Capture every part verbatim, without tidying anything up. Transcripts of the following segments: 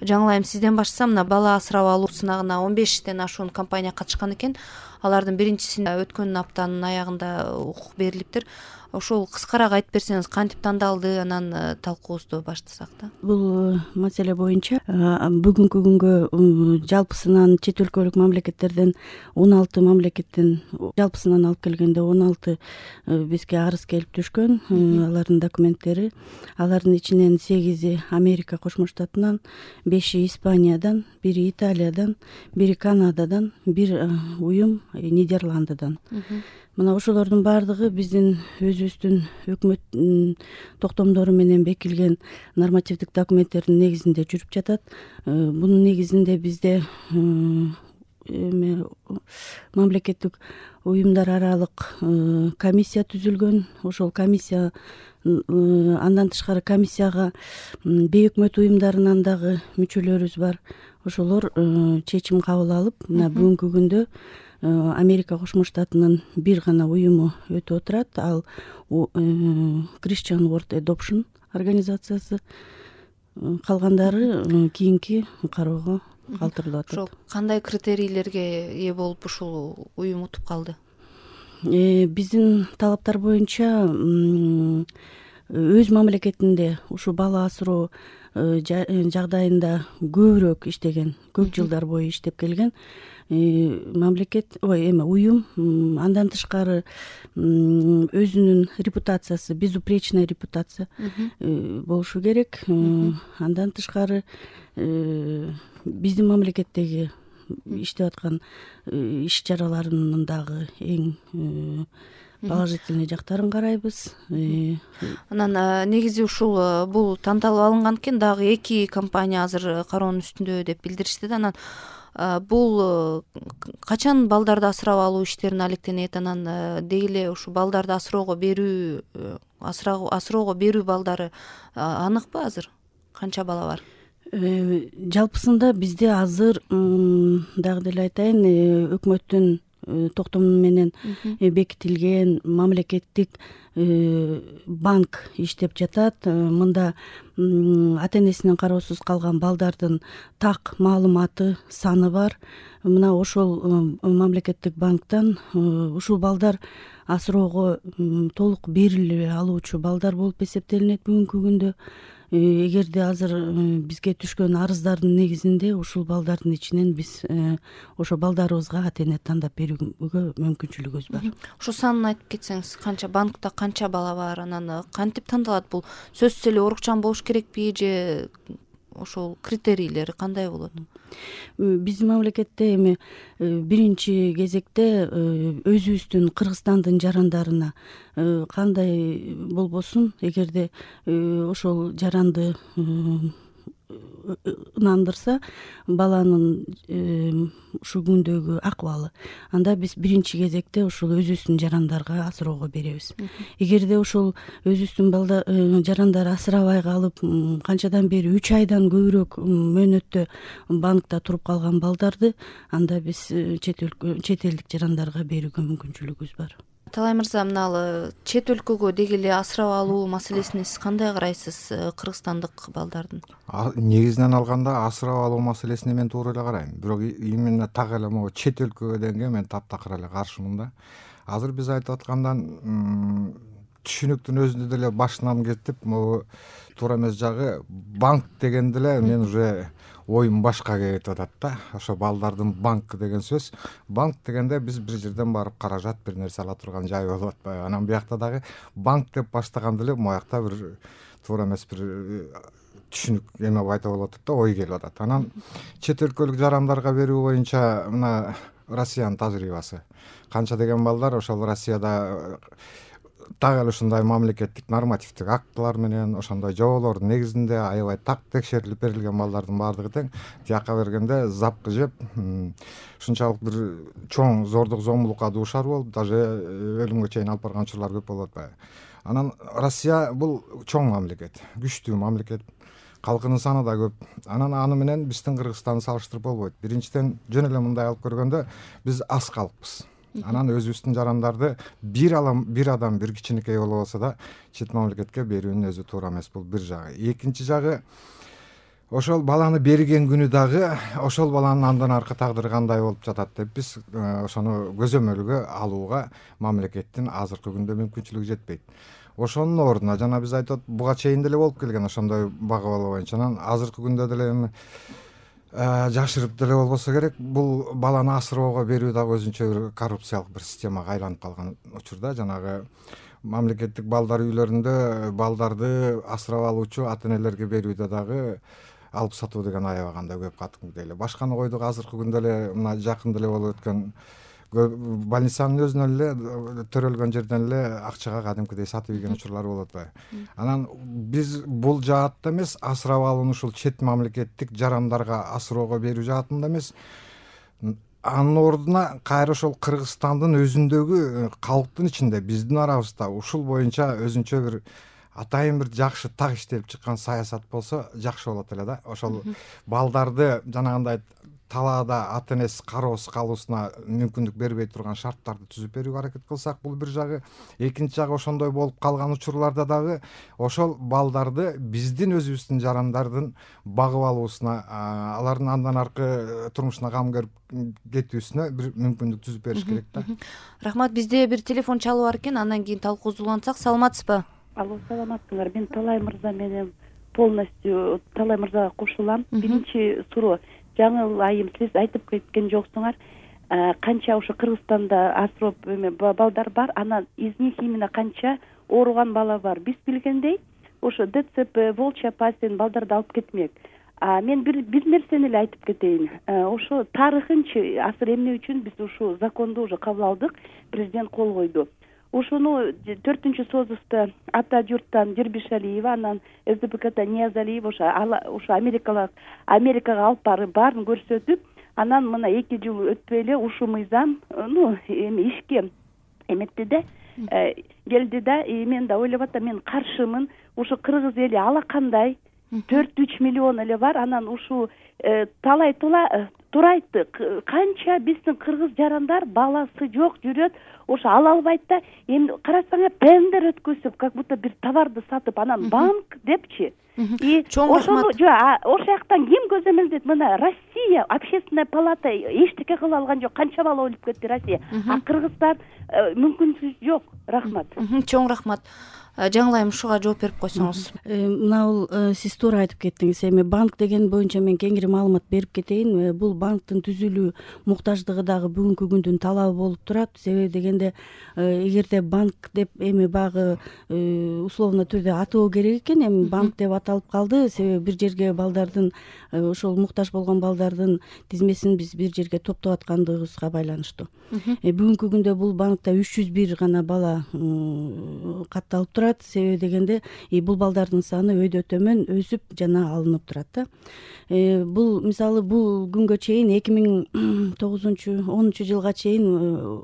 жаңылайым, сизден баштасам, мына бала асырап алуу сынагына он бештен ашуун компания катышкан экен. Алардын биринчисин өткөн аптанын аягында укук берилиптир. Ошол кыскараак айтып берсеңиз, кантип тандалды, анан талкуубузду баштасак да. Бул маселе боюнча бүгүнкү күнгө жалпысынан чет өлкөлүк мамлекеттерден он алты мамлекеттен жалпысынан алып келгенде он алты бизге арыз келип түшкөн. Алардын документтери, алардын ичинен сегизи Америка Кошмо Штатынан, беши Испаниядан, бири Италиядан, бири Канададан, бир уюм Нидерландыдан. Мына ошолордун баардыгы биздин өзүбүздүн өкмөт токтомдору менен бекилген нормативдик документтердин негизинде жүрүп жатат. Бунун негизинде бизде мамлекеттик уюмдар аралык комиссия түзүлгөн. Ошол комиссия, андан тышкары комиссияга бейөкмөт уюмдарынан дагы мүчөлөрүбүз бар. Ошолор чечим кабыл алып, мына бүгүнкү күндө Америка Кошмо Штатынын бир гана уюму өтүп отурат. Ал Christian World Adoption организациясы. Калгандары кийинки кароого калтырылып атат. Ошол кандай критерийлерге ээ болуп ушул уюм утуп калды? Биздин талаптар боюнча өз мамлекетинде ушу бала асыроо жагдайында көбүрөөк иштеген, көп жылдар бою иштеп келген мамлекет, ой, эме уюм, андан тышкары өзүнүн репутациясы, безупречная репутация болушу керек. Андан тышкары биздин мамлекеттеги иштеп аткан иш чараларынын дагы эң положительный жактарын карайбыз. Анан негизи ушул бул тандалып алынган экен, дагы эки компания азыр кароонун үстүндө деп билдиришти да. Анан бул качан балдарды асырап алуу иштерине алектенет? Анан деги эле ушу балдарды асыроого берүү, асыроого берүү балдары аныкпы азыр? Канча бала бар? Жалпысында бизде азыр дагы деле айтайын, өкмөттүн токтому менен бекитилген мамлекеттик банк иштеп жатат. Мында ата-энесинин кароосуз калган балдардын так маалыматы, саны бар. Мына ошол мамлекеттик банктан ушул балдар асыроого толук бериле алуучу балдар болуп эсептелинет бүгүнкү күндө. Эгерде азыр бизге түшкөн арыздардын негизинде ушул балдардын ичинен биз ошо балдарыбызга ата-эне тандап берүүгө мүмкүнчүлүгүбүз бар. Ошо санын айтып кетсеңиз, канча банкта канча бала бар, анан кантип тандалат? Бул сөзсүз эле урукчан болуш керекпи же ошол критерийлери кандай болот? Биздин мамлекетте эми биринчи кезекте өзүбүздүн Кыргызстандын жарандарына кандай болбосун, эгерде ошол жаранды ынандырса баланын ушул күндөгү акыбалы, анда биз биринчи кезекте ушул өзүбүздүн жарандарга асыроого беребиз. Эгерде ушул өзүбүздүн жарандар асырабай калып, канчадан бери үч айдан көбүрөөк мөөнөттө банкта туруп калган балдарды, анда биз чет элдик жарандарга берүүгө мүмкүнчүлүгүбүз бар. Талай мырза, мына чет өлкөгө деги эле асырап алуу маселесине сиз кандай карайсыз, кыргызстандык балдардын? Негизинен алганда асырап алуу маселесине мен туура эле карайм. Бирок именно так эле могу чет өлкөгө дегенге мен таптакыр эле каршымын да. Азыр биз айтып аткандан түшүнүктүн өзүндө деле башынан кетип, могу туура эмес жагы банк дегенде эле мен уже оюм башка кетип атат да. Ошо балдардын банкы деген сөз. Банк дегенде биз бир жерден барып каражат бир нерсе ала турган жай болуп атпайбы? Анан биякта дагы банк деп баштаганда эле моякта бир туура эмес бир түшүнүк эме пайда болуп атат да, ой келип атат. Анан чет өлкөлүк жарандарга берүү боюнча мына Россиянын тажрыйбасы. Канча деген балдар ошол Россияда так эле ушундай мамлекеттик нормативдик актылар менен ошондой жоболордун негизинде аябай так текшерилип берилген балдардын баардыгы тең тияка бергенде запкы жеп, ушунчалык бир чоң зордук зомбулукка дуушар болуп, даже өлүмгө чейин алып барган учурлар көп болуп атпайбы? Анан Россия бул чоң мамлекет, күчтүү мамлекет, калкынын саны да көп. Анан аны менен биздин Кыргызстанды салыштырып болбойт. Биринчиден, жөн эле мындай алып көргөндө биз аз калкпыз. Анан өзүбүздүн жарандарды бир адам бир адам бир кичинекей боло болсо да чет мамлекетке берүүнүн өзү туура эмес. Бул бир жагы. Экинчи жагы, ошол баланы берген күнү дагы ошол баланын андан аркы тагдыры кандай болуп жатат деп биз ошону көзөмөлгө алууга мамлекеттин азыркы күндө мүмкүнчүлүгү жетпейт. Ошонун ордуна жана биз айтып буга чейин деле болуп келген ошондой багып алуу боюнча анан азыркы күндө деле эми жашырып деле болбосо керек, бул баланы асыроого берүү дагы өзүнчө бир коррупциялык бир системага айланып калган учурда жанагы мамлекеттик балдар үйлөрүндө балдарды асырап алуучу ата энелерге берүүдө дагы алып сатуу деген аябаганда көп катымгыдай эле. Башканы койдук, азыркы күндө эле мына жакын деле болуп өткөн больницанын өзүнөн эле төрөлгөн жерден эле акчага кадимкидей сатып ийген учурлар болуп атпайбы. Анан биз бул жаатта эмес, асырап алууну ушул чет мамлекеттик жарандарга асыроого берүү жаатында эмес, анын ордуна кайра ошол Кыргызстандын өзүндөгү калктын ичинде биздин арабызда ушул боюнча өзүнчө бир атайын бир жакшы так иштелип чыккан саясат болсо жакшы болот эле да. Ошол балдарды жанагындай талаада ата энеси кароосуз калуусуна мүмкүндүк бербей турган шарттарды түзүп берүүгө аракет кылсак, бул бир жагы. Экинчи жагы ошондой болуп калган учурларда дагы ошол балдарды биздин өзүбүздүн жарандардын багып алуусуна, алардын андан аркы турмушуна кам көрүп кетүүсүнө бир мүмкүндүк түзүп бериш керек да. Рахмат. Бизде бир телефон чалуу бар экен, андан кийин талкуусулансак. Саламатсызбы? Алло, саламатсыңар. Мен Талай мырза менен полностью Талай мырзага кошулам. Биринчи суроо, жаңы айым сиз айтып кеткен жоксуңар, канча ошо Кыргызстанда асыроо эме балдар бар, анан из них именно канча ооруган бала бар. Биз билгендей, ошо ДЦП, волчья пасть балдарды алып кетмек. А мен бир бир нерсени эле айтып кетейин. Ошо тарыхынчы асыр эмне үчүн биз ушул законду уже кабыл алдык, президент кол койду. Ошону төртүнчү созуста ата журттан Дербишалиева, анан СДПКтан Ниязалиев ошо ошо Америкага Америкага алып барып баарын көрсөтүп, анан мына эки жыл өтпөй эле ушул мыйзам ну эми ишке эметти да, келди да. Мен да ойлоп атам, мен каршымын. Ушу кыргыз эли алакандай төрт үч миллион эле бар. Анан ушул талай турайты канча биздин кыргыз жарандар баласы жок жүрөт, ошо ала албайт да. Эми карасаңар тендер өткөзүп, как будто бир товарды сатып, анан банк депчи. И ошону жок, ошол жактан ким көзөмөлдөйт? Мына Россия общественная палата эчтеке кыла алган жок. Канча бала өлүп кетти Россия. А Кыргызстан мүмкүнчүлүгү жок. Рахмат. Чоң рахмат. Жаңылайым, ушуга жооп берип койсоңуз. Мына бул сиз туура айтып кеттиңиз. Эми банк деген боюнча мен кеңири маалымат берип кетейин. Бул банктын түзүлүү муктаждыгы дагы бүгүнкү күндүн талабы болуп турат. Себеби дегенде эгерде банк деп эми багы условно түрдө атоо керек экен, эми банк деп аталып калды. Себеби бир жерге балдардын, ошол муктаж болгон балдардын тизмесин биз бир жерге топтоп аткандыгыбызга байланыштуу. Бүгүнкү күндө бул банкта үч жүз бир гана бала катталып турат. Себеби дегенде бул балдардын саны өйдө төмөн өсүп жана алынып турат да. Бул мисалы бул күнгө чейин эки миң тогузунчу онунчу жылга чейин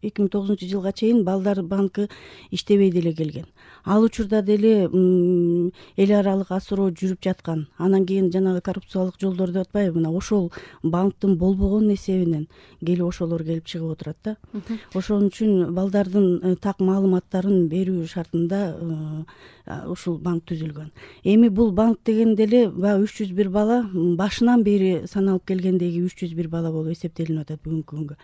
эки миң тогузунчу жылга чейин балдар банкы иштебей деле келген. Ал учурда деле эл аралык асыроо жүрүп жаткан. Анан кийин жанагы коррупциялык жолдор деп атпайбы, мына ошол банктын болбогон эсебинен келип ошолор келип чыгып отурат да. Ошон үчүн балдардын так маалыматтарын берүү шартында ушул банк түзүлгөн. Эми бул банк деген деле баягы үч жүз бир бала башынан бери саналып келгендеги үч жүз бир бала болуп эсептелинип атат бүгүнкү күнгө.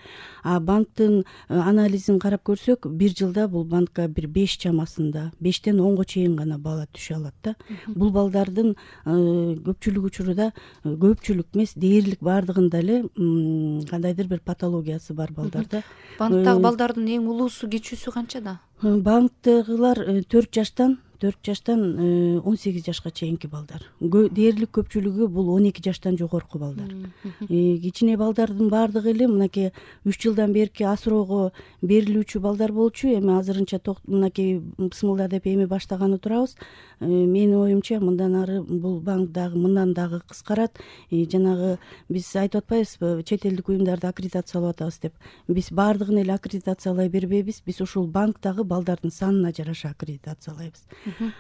А банктын анализин карап көрсөк, бир жылда бул банкка бир беш чамасында, бештен онго чейин гана бала түшө алат да. Бул балдардын көпчүлүк учурда, көпчүлүк эмес, дээрлик баардыгында эле кандайдыр бир патологиясы бар балдарда. Банктагы балдардын эң улуусу, кичүүсү канчада? Банктагылар төрт жаштан төрт жаштан он сегиз жашка чейинки балдар. Дээрлик көпчүлүгү бул он эки жаштан жогорку балдар. Кичине балдардын баардыгы эле мынакей үч жылдан берки асыроого берилүүчү балдар болчу. Эми азырынча мынакей бысмылда деп эми баштаганы турабыз. Менин оюмча мындан ары бул банк дагы мындан дагы кыскарат. Жанагы биз айтып атпайбызбы, чет элдик уюмдарды аккредитациялап атабыз деп. Биз баардыгын эле аккредитациялай бербейбиз. Биз ушул банктагы балдардын санына жараша аккредитациялайбыз.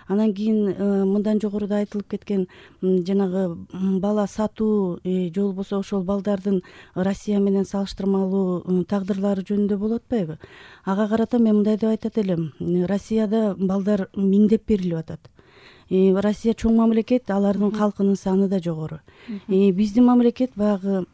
Анан кийин мындан жогоруда айтылып кеткен жанагы бала сатуу же болбосо ошол балдардын Россия менен салыштырмалуу тагдырлары жөнүндө болуп атпайбы? Ага карата мен мындай деп айтат элем. Россияда балдар миңдеп берилип атат. Россия чоң мамлекет, алардын калкынын саны да жогору. Биздин мамлекет баягы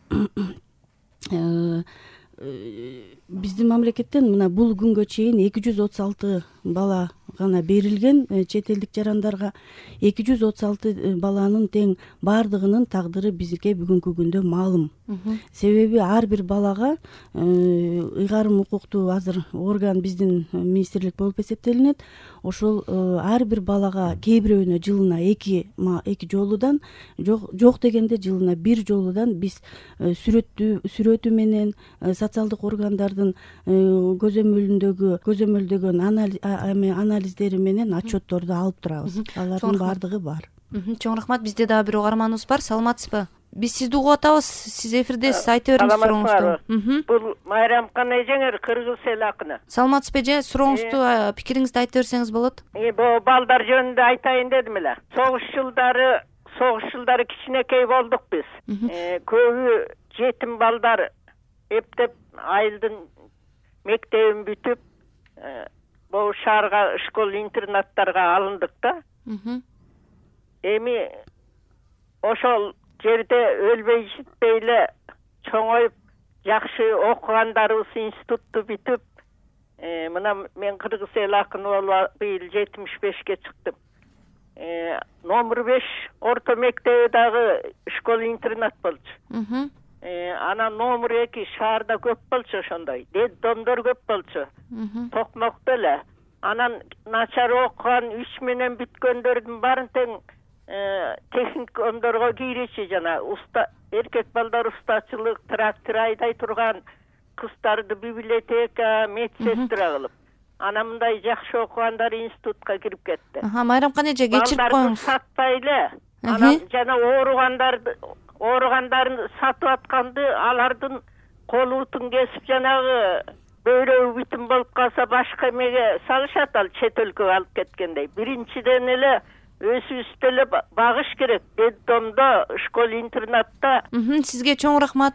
биздин мамлекеттен мына бул күнгө чейин эки жүз отуз алты бала гана берилген чет элдик жарандарга. эки жүз отуз алты баланын тең баардыгынын тагдыры бизге бүгүнкү күндө маалым. Себеби ар бир балага ыйгарым укуктуу азыр орган биздин министрлик болуп эсептелинет. Ошол ар бир балага кээ бирөөнө жылына эки эки жолудан жок дегенде жылына бир жолудан биз сүрөттү сүрөтү менен социалдык органдардын көзөмөлүндөгү көзөмөлдөгөн анализдери менен отчетторду алып турабыз. Алардын баардыгы бар. Чоң рахмат. Бизде дагы бир угарманыбыз бар. Саламатсызбы? Биз сизди угуп атабыз. Сиз эфирдесиз. Айта бериңиз сурооңузду. Бул Майрамкан эжеңер Кыргыз эл акыны. Саламатсызбы эже? Сурооңузду, пикириңизди айта берсеңиз болот. Бул балдар жөнүндө айтайын дедим эле. Согуш жылдары, согуш жылдары кичинекей болдук биз. Көбү жетим балдар эптеп айылдын мектебин бүтүп, бул шаарга школ интернаттарга алындык да. Эми ошол жерде өлбөй житпей эле чоңоюп, жакшы окугандарыбыз институтту бүтүп, мына мен Кыргыз эл акыны болуп быйыл жетимиш бешке чыктым. Номер беш орто мектеби дагы школ интернат болчу. Анан номер эки шаарда көп болчу ошондой. Детдомдор көп болчу. Токмокто эле. Анан начар окуган үч менен бүткөндөрдүн баарын тең техникомдорго кирүүчү, жана уста эркек балдар устачылык, трактор айдай турган кыздарды библиотека, медсестра кылып. Анан мындай жакшы окугандар институтка кирип кетти. Майрамкан эже, кечирип коюңуз. Сатпай эле. Анан жана ооругандарды ооругандарын сатып атканды алардын колутун кесип, жанагы бөйрөгү бүтүн болуп калса башка эмеге салышат, ал чет өлкөгө алып кеткендей. Биринчиден эле өзүбүздү эле багыш керек. Детдомдо, школ интернатта. Сизге чоң рахмат.